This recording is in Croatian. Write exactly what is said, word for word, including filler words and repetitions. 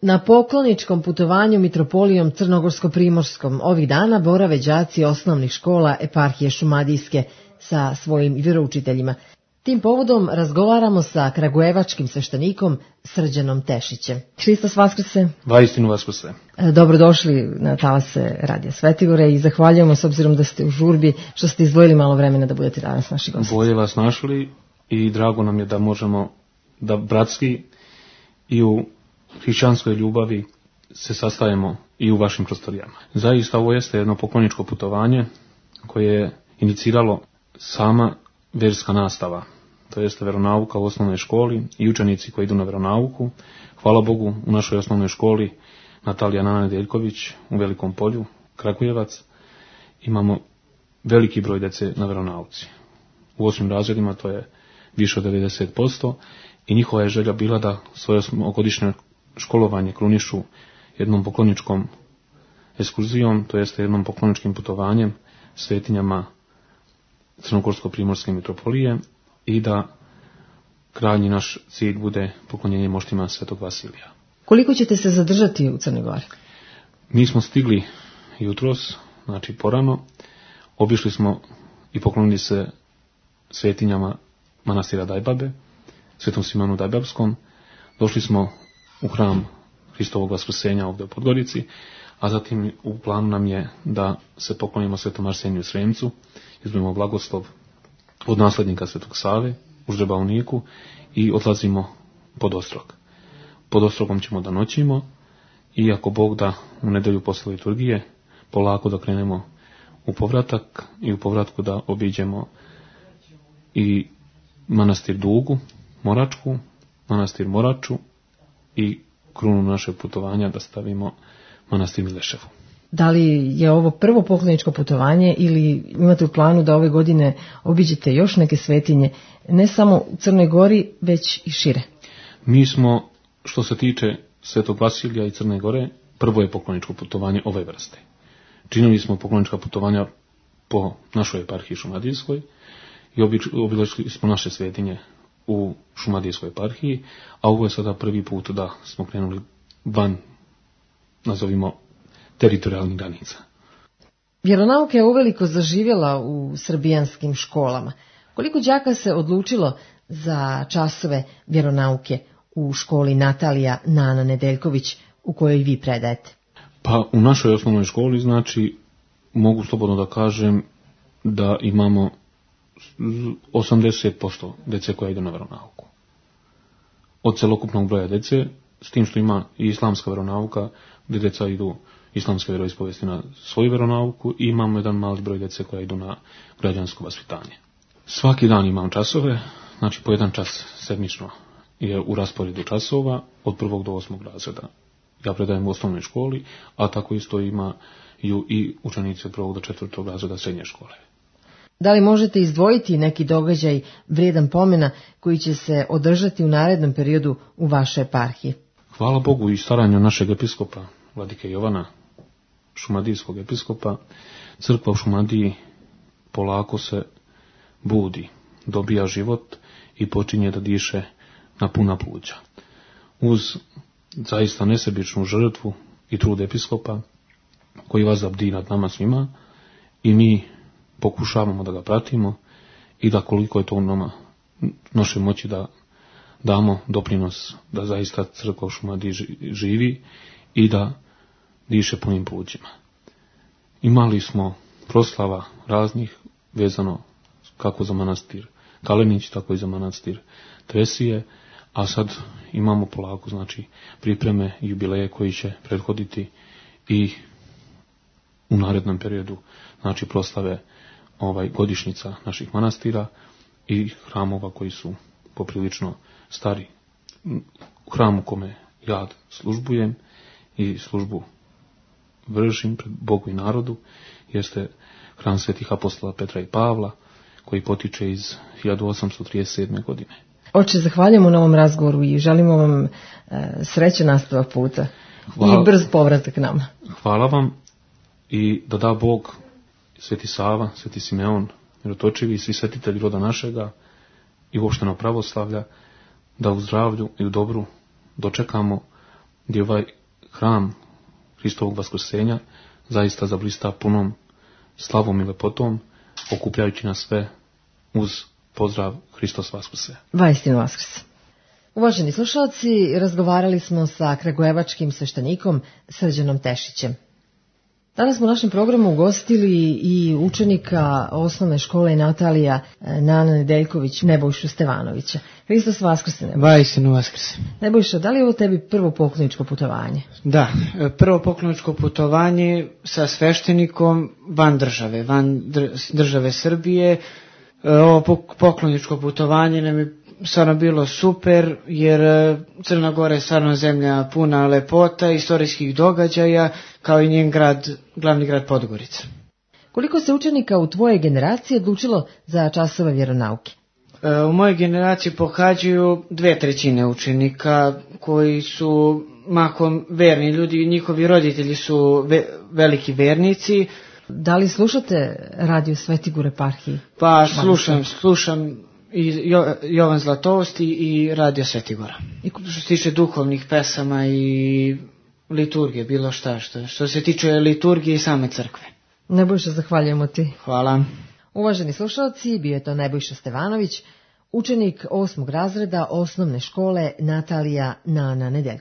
Na pokloničkom putovanju mitropolijom Crnogorsko-primorskom ovih dana borave đaci osnovnih škola eparhije Šumadijske sa svojim vjeroučiteljima. Tim povodom razgovaramo sa kragujevačkim sveštenikom Srđanom Tešićem. Hristos Vaskrse. Vaistinu Vaskrse. Dobrodošli na talase Radija Svetigore i zahvaljujemo s obzirom da ste u žurbi što ste izdvojili malo vremena da budete danas naši gosti. Bolje vas našli i drago nam je da možemo da bratski i u hrišćanskoj ljubavi se sastajemo i u vašim prostorijama. Zaista ovo jeste jedno pokloničko putovanje koje je iniciralo sama vjerska nastava, to jeste veronauka u osnovnoj školi i učenici koji idu na veronauku. Hvala Bogu, u našoj osnovnoj školi Natalija Nana Nedeljković u Velikom Polju, Kragujevac, imamo veliki broj djece na veronauci. U osmim razredima to je više od devedeset posto i njihova je želja bila da svoje osmogodišnje školovanje krunišu jednom pokloničkom ekskurzijom, to jeste jednom pokloničkim putovanjem svetinjama Crnogorsko-primorske mitropolije i da krajnji naš cilj bude poklonjenje moštima Svetog Vasilija. Koliko ćete se zadržati u Crnoj Gori? Mi smo stigli jutros, znači porano, obišli smo i poklonili se svetinjama manastira Dajbabe, Svetom Simonu Dajbabskom, došli smo u hram Hristovog Vaskrsenja ovdje u Podgorici, a zatim u planu nam je da se poklonimo Svetom Arseniju Sremcu, izbimo blagoslov od nasljednika Svetog Save u Ždrebauniku i odlazimo pod Ostrog. Pod Ostrogom ćemo da noćimo i ako Bog da u nedelju posle liturgije polako da krenemo u povratak i u povratku da obiđemo i manastir Dugu, Moračku, manastir Moraču i krunu našeg putovanja da stavimo manastir Mileševu. Da li je ovo prvo pokloničko putovanje ili imate u planu da ove godine obiđete još neke svetinje, ne samo u Crnoj Gori, već i šire? Mi smo, što se tiče Svetog Vasilija i Crne Gore, prvo je pokloničko putovanje ove vrste. Činili smo poklonička putovanja po našoj eparhiji Šumadijskoj i obišli smo naše svetinje u Šumadijskoj eparhiji, a ovo je sada prvi put da smo krenuli van, nazovimo, teritorijalnih granica. Vjeronauka je uveliko zaživjela u srbijanskim školama. Koliko đaka se odlučilo za časove vjeronauke u školi Natalija Nana Nedeljković u kojoj vi predajete? Pa u našoj osnovnoj školi, znači, mogu slobodno da kažem da imamo osamdeset posto djece koja idu na veronauku. Od celokupnog broja djece, s tim što ima i islamska veronauka, gdje djeca idu islamske vjeroispovesti na svoju veronauku i imamo jedan mali broj djece koja idu na građansko vaspitanje. Svaki dan imam časove, znači po jedan čas sedmično je u rasporedu časova od prvog do osmog razreda. Ja predajem u osnovnoj školi, a tako isto imaju i učenici od prvog do četvrtog razreda srednje škole. Da li možete izdvojiti neki događaj vrijedan pomena koji će se održati u narednom periodu u vašoj eparhiji? Hvala Bogu i staranju našeg episkopa, vladike Jovana, šumadijskog episkopa, crkva u Šumadiji polako se budi, dobija život i počinje da diše na puna pluća. Uz zaista nesebičnu žrtvu i trud episkopa koji vas zabdi nad nama svima i mi pokušavamo da ga pratimo i da koliko je to u nama našoj moći da damo doprinos da zaista crkva u Šumadiji živi i da diše punim plućima. Imali smo proslava raznih vezano kako za manastir Kalenić, tako i za manastir Tresije, a sad imamo polako, znači, pripreme i jubileje koji će prethoditi i u narednom periodu, znači, proslave ovaj godišnjica naših manastira i hramova koji su poprilično stari. U hramu kome ja službujem i službu vršim pred Bogu i narodu jeste hram svetih apostola Petra i Pavla, koji potiče iz hiljadu osamsto trideset sedme. godine. Oče, zahvaljujemo na ovom razgovoru i želimo vam e, srećan nastavak puta. Hvala, i brz povratak nama. Hvala vam i da da Bog, Sveti Sava, Sveti Simeon, Mirotočivi i svi svetitelji roda našega i uopšteno pravoslavlja, da u zdravlju i u dobru dočekamo gdje ovaj hram Hristovog vaskrsenja zaista zablista punom slavom i lepotom, okupljajući nas sve uz pozdrav Hristos vaskrse. Vaistinu vaskrse. Uvaženi slušalci, razgovarali smo sa kragujevačkim sveštenikom Srđanom Tešićem. Danas smo u našem programu ugostili i učenika osnovne škole Natalija Nana Nedeljković Nebojšu Stevanovića. Hristos vaskrse, Nebojša. Vaistinu vaskrse. Nebojša, da li je ovo tebi prvo pokloničko putovanje? Da, prvo pokloničko putovanje sa sveštenikom van države, van države Srbije. Ovo pokloničko putovanje nam je stvarno bilo super, jer Crna Gora je stvarno zemlja puna lepota, istorijskih događaja, kao i njen grad, glavni grad Podgorica. Koliko se učenika u tvojoj generaciji odlučilo za časove vjeronauke? U mojoj generaciji pohađaju dve trećine učenika koji su mahom verni ljudi, njihovi roditelji su ve, veliki vernici. Da li slušate radio Svetigur eparhiji? Pa slušam, slušam i jo, Jovan Zlatovost i radio Svetigora. I što se tiče duhovnih pesama i liturgije, bilo šta, što, što se tiče liturgije i same crkve. Nebojša, zahvaljujemo ti. Hvala. Uvaženi slušalci, bio je to Nebojša Stevanović, učenik osmog razreda osnovne škole Natalija Nana Nedeljković.